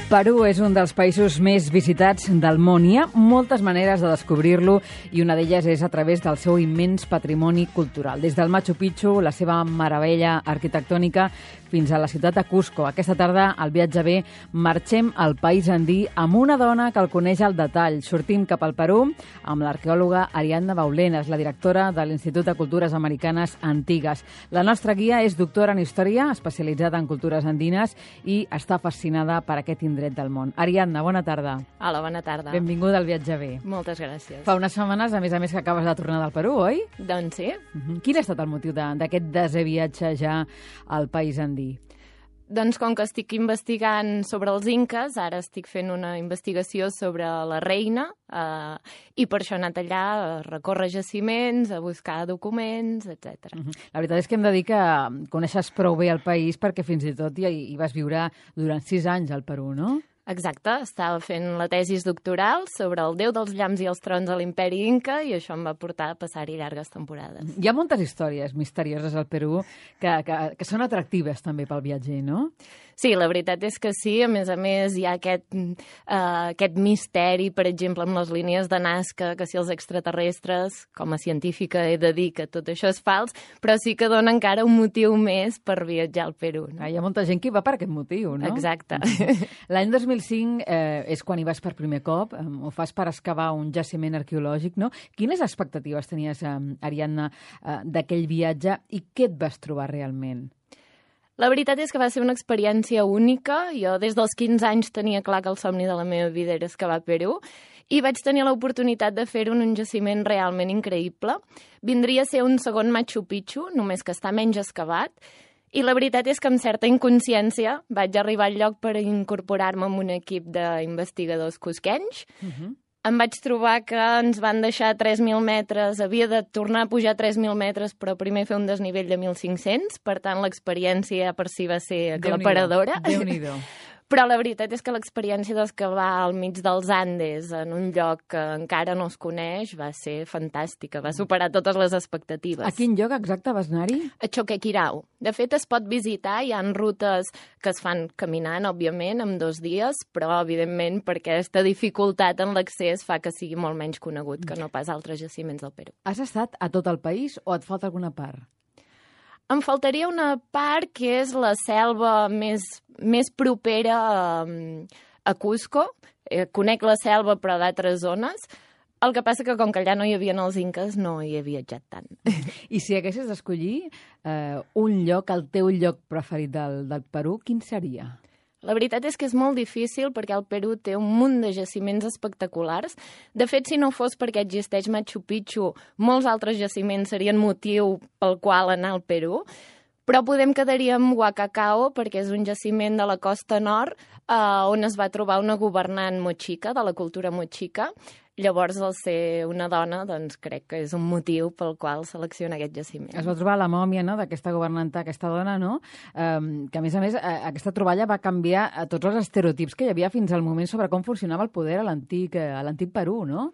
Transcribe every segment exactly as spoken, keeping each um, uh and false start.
Perú és un dels països més visitats del món. Hi ha moltes maneres de descobrir-lo i una d'elles és a través del seu immens patrimoni cultural. Des del Machu Picchu, la seva meravella arquitectònica, fins a la ciutat de Cusco. Aquesta tarda, al Viatge B, marxem al país andí amb una dona que el coneix al detall. Sortim cap al Perú amb l'arqueòloga Ariadna Baulenas, la directora de l'Institut de Cultures Americanes Antigues. La nostra guia és doctora en Història, especialitzada en cultures andines i està fascinada per aquest indret del món. Ariadna, bona tarda. Hola, bona tarda. Benvinguda al Viatge B. Moltes gràcies. Fa unes setmanes, a més a més, que acabes de tornar del Perú, oi? Doncs sí. Uh-huh. Quin ha estat el motiu d'aquest desè viatge ja al país andí? Doncs com que estic investigant sobre els inques, ara estic fent una investigació sobre la reina eh, i per això he anat allà a recórrer jaciments, a buscar documents, etcètera. Uh-huh. La veritat és que hem de dir que coneixes prou bé el país perquè fins i tot hi, hi vas viure durant sis anys al Perú, no? Exacte, estava fent la tesis doctoral sobre el déu dels llamps i els trons a l'imperi Inca i això em va portar a passar-hi llargues temporades. Hi ha moltes històries misterioses al Perú que, que, que són atractives també pel viatger, no? Sí, la veritat és que sí. A més a més, hi ha aquest, uh, aquest misteri, per exemple, amb les línies de Nazca, que si els extraterrestres, com a científica he de dir que tot això és fals, però sí que dona encara un motiu més per viatjar al Perú. No? Ah, hi ha molta gent que hi va per aquest motiu, no? Exacte. L'any dos mil cinc eh, és quan hi vas per primer cop, eh, ho fas per excavar un jaciment arqueològic, no? Quines expectatives tenies, eh, Ariadna, eh, d'aquell viatge i què et vas trobar realment? La veritat és que va ser una experiència única. Jo des dels quinze anys tenia clar que el somni de la meva vida era excavar a Perú i vaig tenir l'oportunitat de fer-ho en un jaciment realment increïble. Vindria a ser un segon Machu Picchu, només que està menys excavat. I la veritat és que amb certa inconsciència vaig arribar al lloc per incorporar-me en un equip d'investigadors cusquenys. Uh-huh. Em vaig trobar que ens van deixar tres mil metres, havia de tornar a pujar tres mil metres, però primer fer un desnivell de mil cinc-cents, per tant l'experiència per si va ser aclaparadora. Déu-n'hi-do. Però la veritat és que l'experiència d'excavar al mig dels Andes, en un lloc que encara no es coneix, va ser fantàstica, va superar totes les expectatives. A quin lloc exacte vas anar-hi? A Choquequirao. De fet, es pot visitar, hi ha rutes que es fan caminant, òbviament, en dos dies, però, evidentment, perquè aquesta dificultat en l'accés fa que sigui molt menys conegut que no pas altres jaciments del Perú. Has estat a tot el país o et falta alguna part? Em faltaria una part que és la selva més, més propera a, a Cusco. Eh, conec la selva, però d'altres zones. El que passa que, com que allà no hi havia els inques, no hi he viatjat tant. I si haguessis d'escollir eh, un lloc, el teu lloc preferit del, del Perú, quin seria? La veritat és que és molt difícil perquè el Perú té un munt de jaciments espectaculars. De fet, si no fos perquè existeix Machu Picchu, molts altres jaciments serien motiu pel qual anar al Perú. Però podem quedaria amb Huacacao perquè és un jaciment de la costa nord eh, on es va trobar una governant mochica, de la cultura mochica. Llavors, al ser una dona, doncs crec que és un motiu pel qual selecciona aquest jaciment. Es va trobar la mòmia, no?, d'aquesta governanta, aquesta dona, no?, um, que, a més a més, aquesta troballa va canviar a tots els estereotips que hi havia fins al moment sobre com funcionava el poder a l'antic a l'antic Perú, no?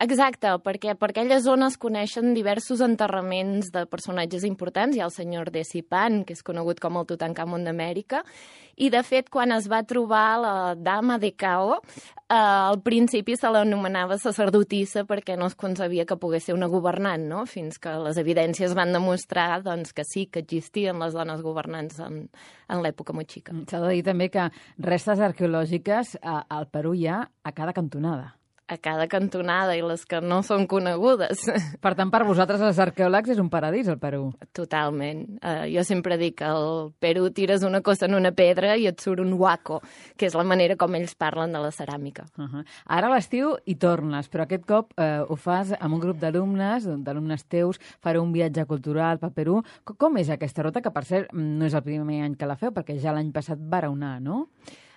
Exacte, perquè per aquelles zones coneixen diversos enterraments de personatges importants. Hi ha el senyor Decipan, que és conegut com el Tutankamon d'Amèrica, i, de fet, quan es va trobar la dama de Cao, eh, al principi se l'anomenava sacerdotissa perquè no es concebia que pogués ser una governant, no? Fins que les evidències van demostrar doncs, que sí, que existien les dones governants en, en l'època mochica. S'ha de dir també que restes arqueològiques a, al Perú hi ha a cada cantonada. A cada cantonada i les que no són conegudes. Per tant, per vosaltres, els arqueòlegs, és un paradís, el Perú. Totalment. Uh, jo sempre dic que al Perú tires una cosa en una pedra i et surt un huaco, que és la manera com ells parlen de la ceràmica. Uh -huh. Ara a l'estiu hi tornes, però aquest cop eh, ho fas amb un grup d'alumnes, d'alumnes teus, fareu un viatge cultural pel Perú. Com és aquesta ruta, que per cert no és el primer any que la feu, perquè ja l'any passat vareu anar, no?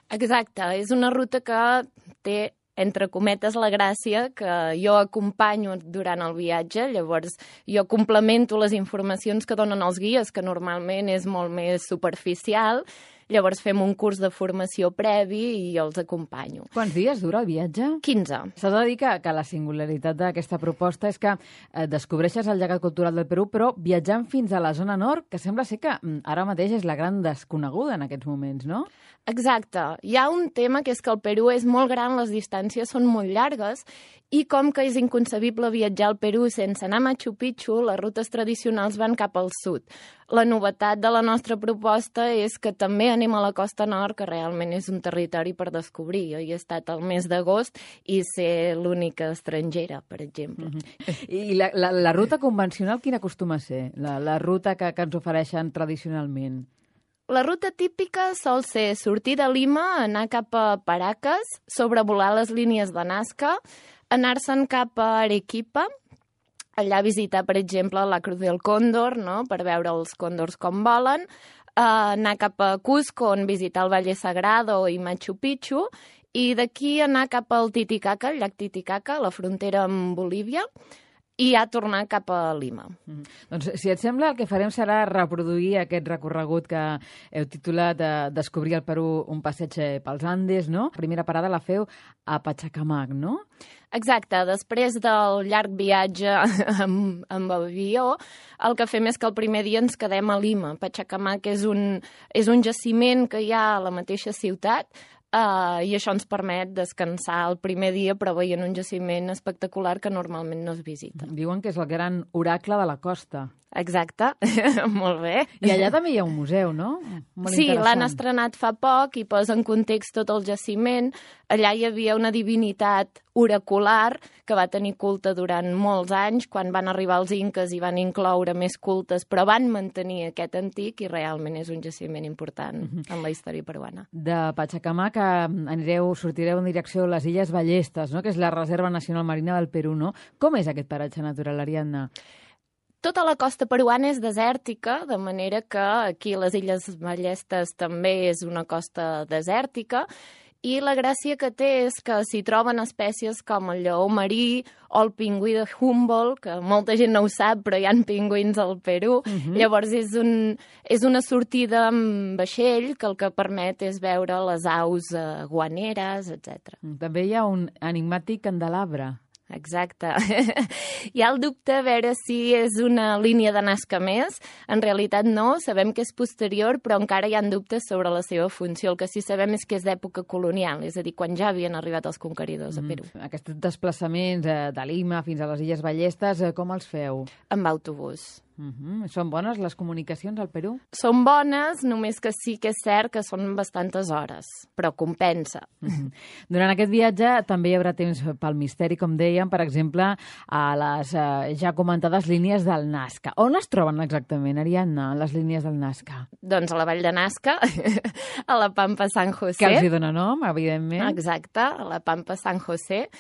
Exacte. És una ruta que té, entre cometes, la gràcia que jo acompanyo durant el viatge, llavors jo complemento les informacions que donen els guies, que normalment és molt més superficial, llavors fem un curs de formació previ i els acompanyo. Quants dies dura el viatge? quinze. S'ha de dir que, que la singularitat d'aquesta proposta és que eh, descobreixes el llegat cultural del Perú, però viatjant fins a la zona nord, que sembla ser que mm, ara mateix és la gran desconeguda en aquests moments, no? Exacte. Hi ha un tema que és que el Perú és molt gran, les distàncies són molt llargues i com que és inconcebible viatjar al Perú sense anar a Machu Picchu, les rutes tradicionals van cap al sud. La novetat de la nostra proposta és que també anem a la costa nord, que realment és un territori per descobrir. Jo hi he estat al mes d'agost i ser l'única estrangera, per exemple. Mm-hmm. I la, la, la ruta convencional quina acostuma a ser? La, la ruta que, que ens ofereixen tradicionalment? La ruta típica sol ser sortir de Lima, anar cap a Paracas, sobrevolar les línies de Nazca, anar-se'n cap a Arequipa, allà visitar, per exemple, la Cruz del Cóndor, no?, per veure els còndors com volen, eh, anar cap a Cusco, on visitar el Valle Sagrado i Machu Picchu, i d'aquí anar cap al Titicaca, el llac Titicaca, la frontera amb Bolívia, i ja tornar cap a Lima. Mm. Doncs, si et sembla, el que farem serà reproduir aquest recorregut que heu titulat eh, Descobrir el Perú, un passeig pels Andes, no? La primera parada la feu a Pachacamac, no? Exacte. Després del llarg viatge amb, amb avió, el que fem és que el primer dia ens quedem a Lima. Pachacamac és un, és un jaciment que hi ha a la mateixa ciutat, Uh, i això ens permet descansar el primer dia, però veient un jaciment espectacular que normalment no es visita. Diuen que és el gran oracle de la costa. Exacte, molt bé. I allà també hi ha un museu, no? Molt sí, interessant. L'han estrenat fa poc i posa en context tot el jaciment. Allà hi havia una divinitat oracular que va tenir culte durant molts anys. Quan van arribar els inques i van incloure més cultes, però van mantenir aquest antic i realment és un jaciment important mm-hmm. en la història peruana. De Pachacamac anireu, sortireu en direcció a les Illes Ballestes, no?, que és la Reserva Nacional Marina del Perú, no? Com és aquest paratge natural, Ariadna? Tota la costa peruana és desèrtica, de manera que aquí les Illes Ballestes també és una costa desèrtica, i la gràcia que té és que s'hi troben espècies com el lleó marí o el pingüí de Humboldt, que molta gent no ho sap, però hi ha pingüins al Perú. Uh-huh. Llavors és, un, és una sortida amb vaixell que el que permet és veure les aus eh, guaneres, etcètera. També hi ha un enigmàtic candelabre. Exacte. Hi ha el dubte a veure si és una línia de Nazca més. En realitat no, sabem que és posterior, però encara hi ha dubtes sobre la seva funció. El que sí sabem és que és d'època colonial, és a dir, quan ja havien arribat els conqueridors a Perú. Mm. Aquests desplaçaments eh, de Lima fins a les Illes Ballestes, eh, com els feu? Amb autobús. Mm-hmm. Són bones les comunicacions al Perú? Són bones, només que sí que és cert que són bastantes hores, però compensa. Mm-hmm. Durant aquest viatge també hi haurà temps pel misteri, com dèiem, per exemple, a les eh, ja comentades línies del Nazca. On es troben exactament, Ariadna, les línies del Nazca? Doncs a la vall de Nazca, a la Pampa San José. Que els hi dona nom, evidentment. Exacte, a la Pampa San José.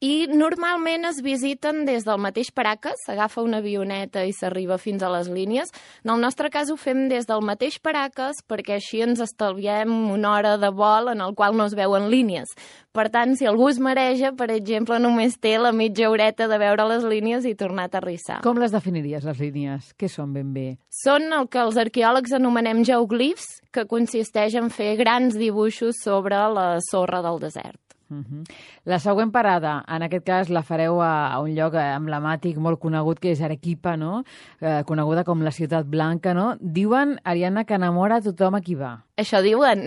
I normalment es visiten des del mateix Paracas, s'agafa una avioneta i s'arriba fins a les línies. En el nostre cas ho fem des del mateix Paracas perquè així ens estalviem una hora de vol en el qual no es veuen línies. Per tant, si algú es mareja, per exemple, només té la mitja horeta de veure les línies i tornar a aterrissar. Com les definiries, les línies? Què són ben bé? Són el que els arqueòlegs anomenem geoglifs, que consisteix en fer grans dibuixos sobre la sorra del desert. Uh-huh. La següent parada, en aquest cas, la fareu a, a un lloc emblemàtic molt conegut, que és Arequipa, no? Eh, coneguda com la Ciutat Blanca, no? Diuen, Ariadna, que enamora a tothom a qui va. Això diuen.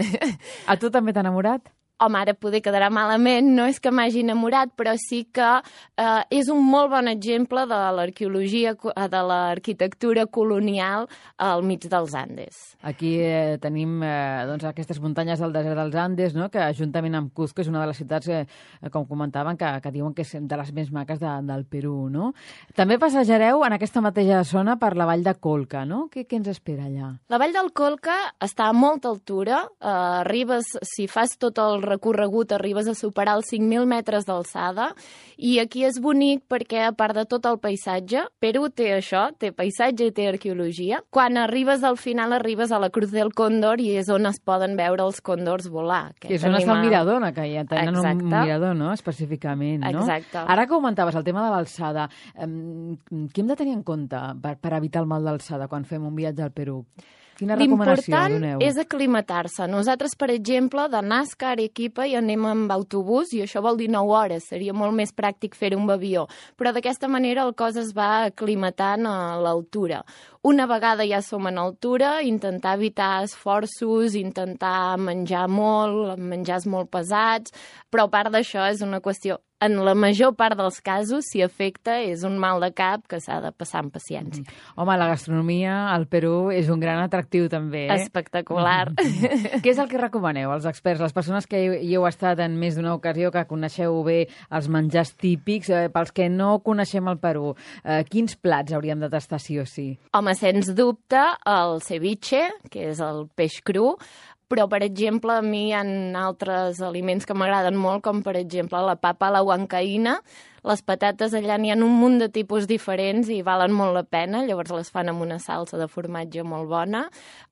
A tu també t'ha enamorat? Home, ara poder quedarà malament, no és que m'hagi enamorat, però sí que eh, és un molt bon exemple de l'arqueologia, de l'arquitectura colonial al mig dels Andes. Aquí eh, tenim eh, doncs, aquestes muntanyes del desert dels Andes, no?, que juntament amb Cusco és una de les ciutats, eh, com comentaven, que, que diuen que és de les més maques de, del Perú, no? També passejareu en aquesta mateixa zona per la vall de Colca, no? Què, què ens espera allà? La vall del Colca està a molta altura, eh, arribes, si fas tot el recorregut, arribes a superar els cinc mil metres d'alçada, i aquí és bonic perquè, a part de tot el paisatge, Perú té això, té paisatge i té arqueologia. Quan arribes al final, arribes a la Cruz del Cóndor i és on es poden veure els còndors volar. Que és on es fa el mirador, que ja tenen Exacte. Un mirador, no?, específicament, no? Exacte. Ara que comentaves el tema de l'alçada, eh, què hem de tenir en compte per, per evitar el mal d'alçada quan fem un viatge al Perú? Quina recomanació doneu? L'important és aclimatar-se. Nosaltres, per exemple, de Nazca a Arequipa hi anem amb autobús i això vol dir nou hores. Seria molt més pràctic fer-ho amb avió. Però d'aquesta manera el cos es va aclimatant a l'altura. Una vegada ja som en altura, intentar evitar esforços, intentar menjar molt, menjars molt pesats, però a part d'això és una qüestió, en la major part dels casos, si afecta, és un mal de cap que s'ha de passar amb paciència. Home, la gastronomia al Perú és un gran atractiu també, eh? Espectacular. Què és el que recomaneu, els experts, les persones que hi heu estat en més d'una ocasió, que coneixeu bé els menjars típics, eh, pels que no coneixem el Perú, eh, quins plats hauríem de tastar sí o sí? Home, sens dubte, el ceviche, que és el peix cru, però, per exemple, a mi hi ha altres aliments que m'agraden molt, com, per exemple, la papa a la huancaïna. Les patates allà n'hi ha un munt de tipus diferents i valen molt la pena, llavors les fan amb una salsa de formatge molt bona.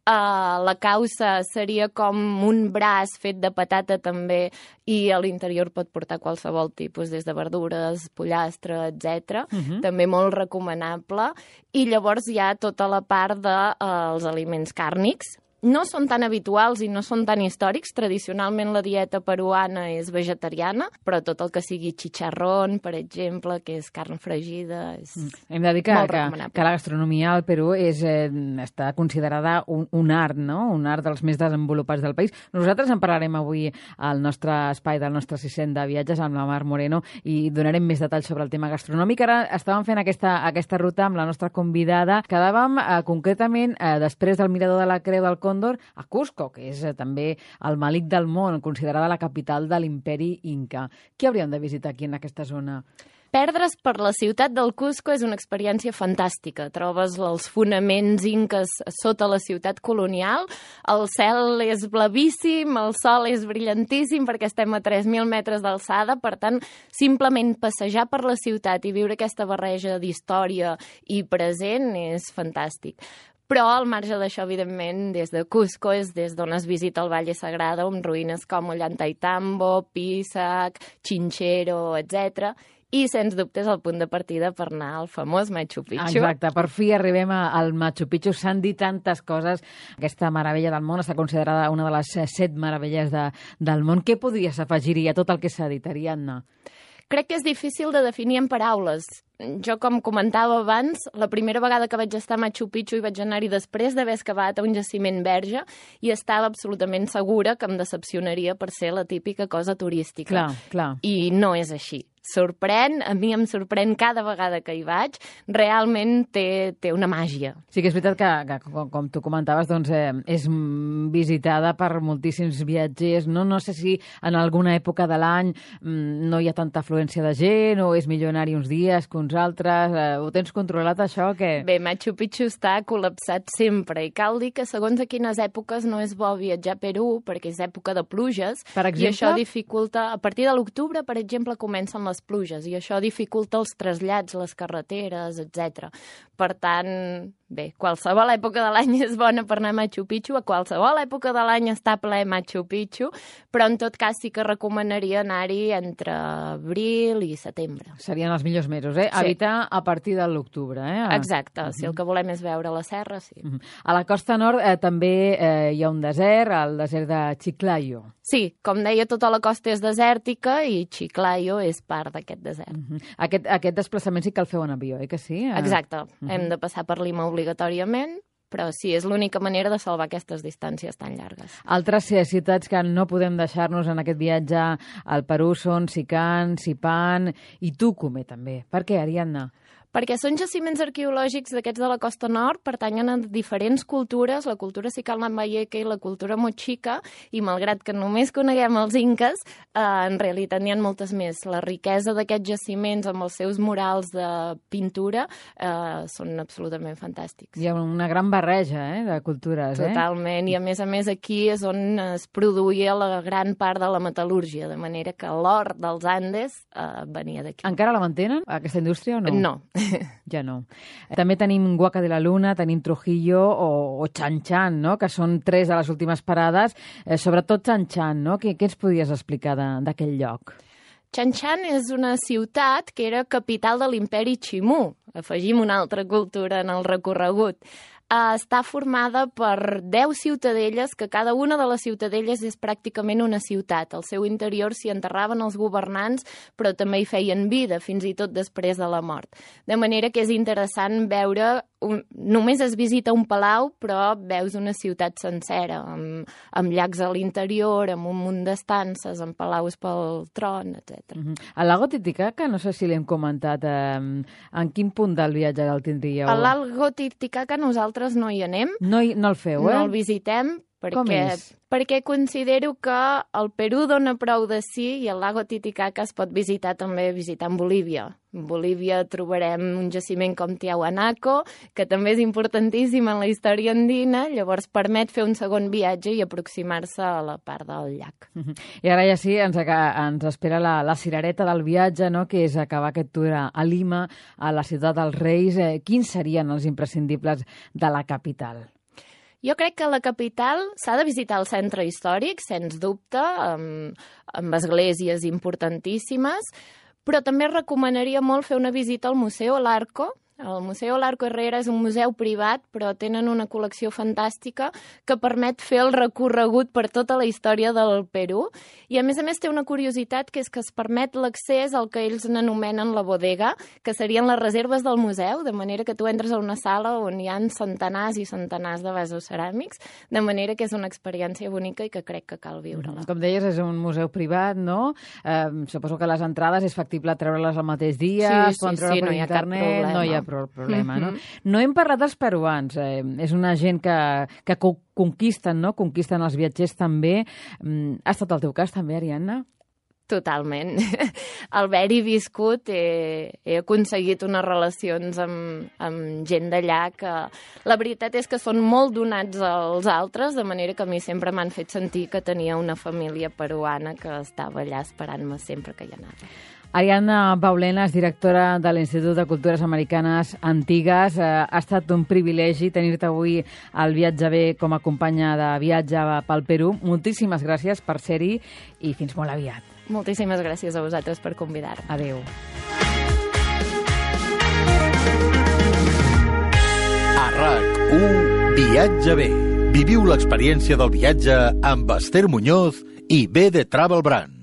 Uh, la causa seria com un braç fet de patata també i a l'interior pot portar qualsevol tipus, des de verdures, pollastre, etcètera. Uh-huh. També molt recomanable. I llavors hi ha tota la part dels uh, aliments càrnics. No són tan habituals i no són tan històrics. Tradicionalment la dieta peruana és vegetariana, però tot el que sigui chicharrón, per exemple, que és carn fregida, és mm. Hem de dir que, molt que, recomanable. que la gastronomia al Perú és, eh, està considerada un, un art, no? Un art dels més desenvolupats del país. Nosaltres en parlarem avui al nostre espai del nostre siscent de viatges amb la Mar Moreno i donarem més detalls sobre el tema gastronòmic. Ara estàvem fent aquesta, aquesta ruta amb la nostra convidada. Quedàvem eh, concretament eh, després del Mirador de la Creu del Còndor a Cusco, que és eh, també el malic del món, considerada la capital de l'imperi Inca. Què hauríem de visitar aquí en aquesta zona? Perdre's per la ciutat del Cusco és una experiència fantàstica. Trobes els fonaments inques sota la ciutat colonial, el cel és blavíssim, el sol és brillantíssim perquè estem a tres mil metres d'alçada, per tant, simplement passejar per la ciutat i viure aquesta barreja d'història i present és fantàstic. Però, al marge d'això, evidentment, des de Cusco és des d'on es visita el Valle Sagrado, amb ruïnes com Ollantaytambo, Pisac, Chinchero, etcètera. I, sens dubte, és el punt de partida per anar al famós Machu Picchu. Exacte, per fi arribem al Machu Picchu. S'han dit tantes coses. Aquesta meravella del món està considerada una de les set meravelles de, del món. Què podries afegir-hi a tot el que s'ha dit, Ariadna? Crec que és difícil de definir en paraules. Jo, com comentava abans, la primera vegada que vaig estar a Machu Picchu i vaig anar-hi després d'haver excavat a un jaciment verge i estava absolutament segura que em decepcionaria per ser la típica cosa turística. Clar, clar. I no és així. Sorprèn, a mi em sorprèn cada vegada que hi vaig, realment té, té una màgia. Sí que és veritat que, que com, com tu comentaves, doncs, eh, és visitada per moltíssims viatgers. No, no sé si en alguna època de l'any mm, no hi ha tanta afluència de gent o és millor anar-hi uns dies que uns altres. Eh, ho tens controlat, això? Que... Bé, Machu Picchu està col·lapsat sempre i cal dir que segons a quines èpoques no és bo viatjar a Perú perquè és època de pluges. Per exemple? I això dificulta... A partir de l'octubre, per exemple, comencen les pluges i això dificulta els trasllats, les carreteres, etcètera. Per tant, bé, qualsevol època de l'any és bona per anar a Machu Picchu, a qualsevol època de l'any està ple Machu Picchu, però en tot cas sí que recomanaria anar-hi entre abril i setembre. Serien els millors mesos, eh? Sí. Evitar a partir de l'octubre, eh? Exacte, uh-huh. Si el que volem és veure la serra, sí. Uh-huh. A la costa nord eh, també eh, hi ha un desert, el desert de Chiclayo. Sí, com deia, tota la costa és desèrtica i Chiclayo és part d'aquest desert. Uh-huh. Aquest, aquest desplaçament sí que el feu en avió, eh, que sí? Exacte. Uh-huh. Hem de passar per Lima obligatòriament, però sí, és l'única manera de salvar aquestes distàncies tan llargues. Altres ciutats que no podem deixar-nos en aquest viatge al Perú són Sican, Sipan i Tucumé, també. Per què, Ariadna? Perquè són jaciments arqueològics d'aquests de la costa nord, pertanyen a diferents cultures, la cultura Sicalmayeke i la cultura Mochica, i malgrat que només coneguem els inques, eh, en realitat n'hi ha moltes més. La riquesa d'aquests jaciments amb els seus murals de pintura eh, són absolutament fantàstics. Hi ha una gran barreja eh, de cultures. Totalment, eh? I a més a més aquí és on es produïa la gran part de la metal·lúrgia, de manera que l'or dels Andes eh, venia d'aquí. Encara la mantenen, aquesta indústria, o no? No. Ja no. També tenim Huaca de la Luna, tenim Trujillo o, o Chan Chan, no? Que són tres de les últimes parades. Eh, sobretot Chan Chan, no? Què, què ens podries explicar d'aquell lloc? Chan Chan és una ciutat que era capital de l'imperi Ximú. Afegim una altra cultura en el recorregut. uh, està formada per deu ciutadelles, que cada una de les ciutadelles és pràcticament una ciutat. Al seu interior s'hi enterraven els governants, però també hi feien vida, fins i tot després de la mort. De manera que és interessant veure, un, només es visita un palau, però veus una ciutat sencera, amb, amb llacs a l'interior, amb un munt d'estances, amb palaus pel tron, etcètera. Uh-huh. El lago Titicaca, no sé si l'hem comentat, eh, en quin punt del viatge el tindríeu? A lago Titicaca nosaltres no hi anem. No, hi, no el feu, eh? No el visitem. Perquè, Com és? Perquè considero que el Perú dona prou de si i el lago Titicaca es pot visitar també visitant Bolívia. En Bolívia trobarem un jaciment com Tiahuanaco, que també és importantíssim en la història andina, llavors permet fer un segon viatge i aproximar-se a la part del llac. Uh-huh. I ara ja sí, ens, ens espera la, la cirereta del viatge, no?, que és acabar aquest tour a Lima, a la ciutat dels Reis. Eh, quins serien els imprescindibles de la capital? Jo crec que a la capital s'ha de visitar el centre històric, sens dubte, amb, amb esglésies importantíssimes, però també recomanaria molt fer una visita al Museu Larco. El Museu Larco Herrera és un museu privat, però tenen una col·lecció fantàstica que permet fer el recorregut per tota la història del Perú. I, a més a més, té una curiositat, que és que es permet l'accés al que ells n'anomenen la bodega, que serien les reserves del museu, de manera que tu entres a una sala on hi ha centenars i centenars de vasos ceràmics, de manera que és una experiència bonica i que crec que cal viure-la. Com deies, és un museu privat, no? Eh, suposo que les entrades és factible treure-les al mateix dia, sí, es poden sí, treure sí, per no hi ha internet, cap problema. No hi ha problema, Mm-hmm. no? No hem parlat dels peruans, eh, és una gent que, que conquisten, no? Conquisten els viatgers també. Ha estat el teu cas també, Ariadna? Totalment. Al haver-hi viscut he, he aconseguit unes relacions amb, amb gent d'allà que la veritat és que són molt donats als altres, de manera que a mi sempre m'han fet sentir que tenia una família peruana que estava allà esperant-me sempre que hi anava. Ariadna Baulena és directora de l'Institut de Cultures Americanes Antigues. Eh, ha estat un privilegi tenir-te avui al Viatge Bé com a companya de viatge pel Perú. Moltíssimes gràcies per ser-hi i fins molt aviat. Moltíssimes gràcies a vosaltres per convidar-me. Adéu. A RAC u Viatge Bé. Viviu l'experiència del viatge amb Esther Muñoz i B de Travel Brand.